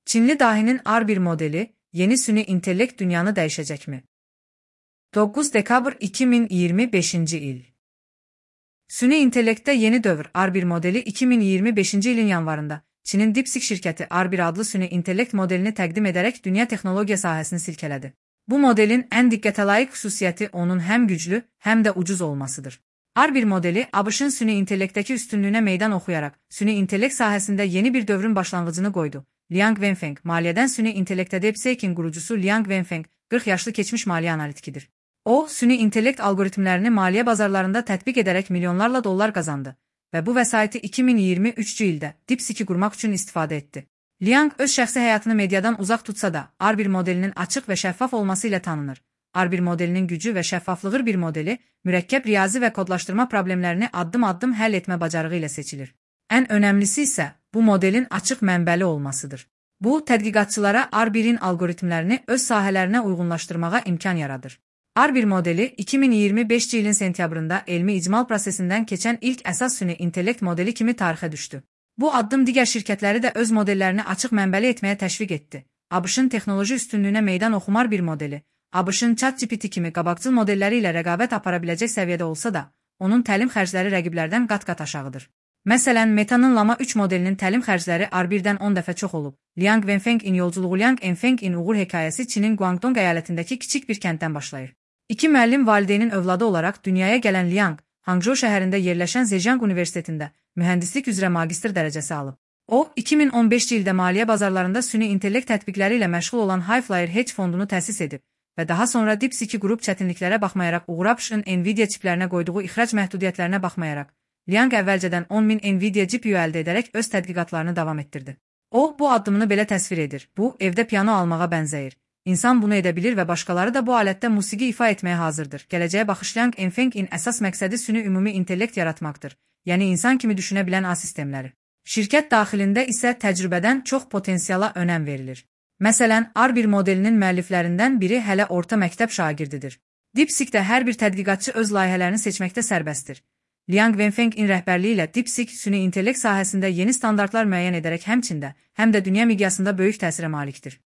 Çinli dahinin R1 modeli, yeni süni intellekt dünyanı dəyişəcəkmi? 9 dekabr 2025 il. Süni intellektdə yeni dövr R1 modeli 2025 ilin yanvarında Çinin DeepSeek şirkəti R1 adlı süni intellekt modelini təqdim edərək dünya texnologiya sahəsini silkələdi. Bu modelin ən diqqətə layiq xüsusiyyəti onun həm güclü, həm də ucuz olmasıdır. R1 modeli ABŞ-ın süni intellektdəki üstünlüyünə meydan oxuyaraq süni intellekt sahəsində yeni bir dövrün başlanğıcını qoydu. Liang Wenfeng, maliyyədən süni intellektdə DeepSeek'in qurucusu Liang Wenfeng, 40 yaşlı keçmiş maliyyə analitikidir. O, süni intellekt algoritmlərini maliyyə bazarlarında tətbiq edərək milyonlarla dollar qazandı və bu vəsaiti 2023-cü ildə DeepSeek'i qurmaq üçün istifadə etdi. Liang öz şəxsi həyatını mediadan uzaq tutsa da, R1 modelinin açıq və şəffaf olması ilə tanınır. R1 modelinin gücü və şəffaflığı bir modeli, mürəkkəb riyazi və kodlaşdırma problemlərini addım-addım həll etmə bacarığı ilə seçilir. Ən önəmlisi isə bu modelin açıq mənbəli olmasıdır. Bu, tədqiqatçılara R1-in algoritmlərini öz sahələrinə uyğunlaşdırmağa imkan yaradır. R1 modeli 2025 ilin sentyabrında elmi icmal prosesindən keçən ilk əsas süni intellekt modeli kimi tarixə düşdü. Bu addım digər şirkətləri də öz modellərini açıq mənbəli etməyə təşviq etdi. ABŞ-ın texnoloji üstünlüyünə meydan oxumar bir modeli, ABŞ-ın ChatGPT kimi qabaqcıl modelləri ilə rəqabət apara biləcək səviyyədə olsa da, onun təlim xərcləri rəqiblərdən qat-qat aşağıdır. Məsələn, Meta'nın Llama 3 modelinin təlim xərcləri R1-dən 10 dəfə çox olub. Liang Wenfeng'in yolculuğu Liang Wenfeng'in uğur hekayəsi Çinin Guangdong əyalətindəki kiçik bir kənddən başlayır. İki müəllim valideynin övladı olaraq dünyaya gələn Liang, Hangzhou şəhərində yerləşən Zhejiang Universitetində mühəndislik üzrə magistr dərəcəsi alıb. O, 2015 ildə maliyyə bazarlarında süni intellekt tətbiqləri ilə məşğul olan Highflyer Hedge fondunu təsis edib və daha sonra DeepSeek'i qrup çətinliklərə baxmayaraq uğur ABŞ-ın Nvidia çiplərinə qoyduğu ixrac məhdudiyyətlərinə baxmayaraq, Liang əvvəlcədən 10.000 Nvidia GPU əldə edərək öz tədqiqatlarını davam etdirdi. O, bu addımını belə təsvir edir. Bu, evdə piano almağa bənzəyir. İnsan bunu edə bilir və başqaları da bu alətdə musiqi ifa etməyə hazırdır. Gələcəyə baxış Liang Wenfeng'in əsas məqsədi süni ümumi intellekt yaratmaqdır, yəni insan kimi düşünə bilən A sistemləri. Şirkət daxilində isə təcrübədən çox potensiala önəm verilir. Məsələn, R1 modelinin müəlliflərindən biri hələ orta məktəb şagirdidir. DeepSeek'də hər bir tədqiqatçı öz layihələrini seçməkdə sərbəstdir. Liang Wenfeng'in rəhbərliyi ilə DeepSeek süni intellekt sahəsində yeni standartlar müəyyən edərək həmçində, həm də dünya miqyasında böyük təsirə malikdir.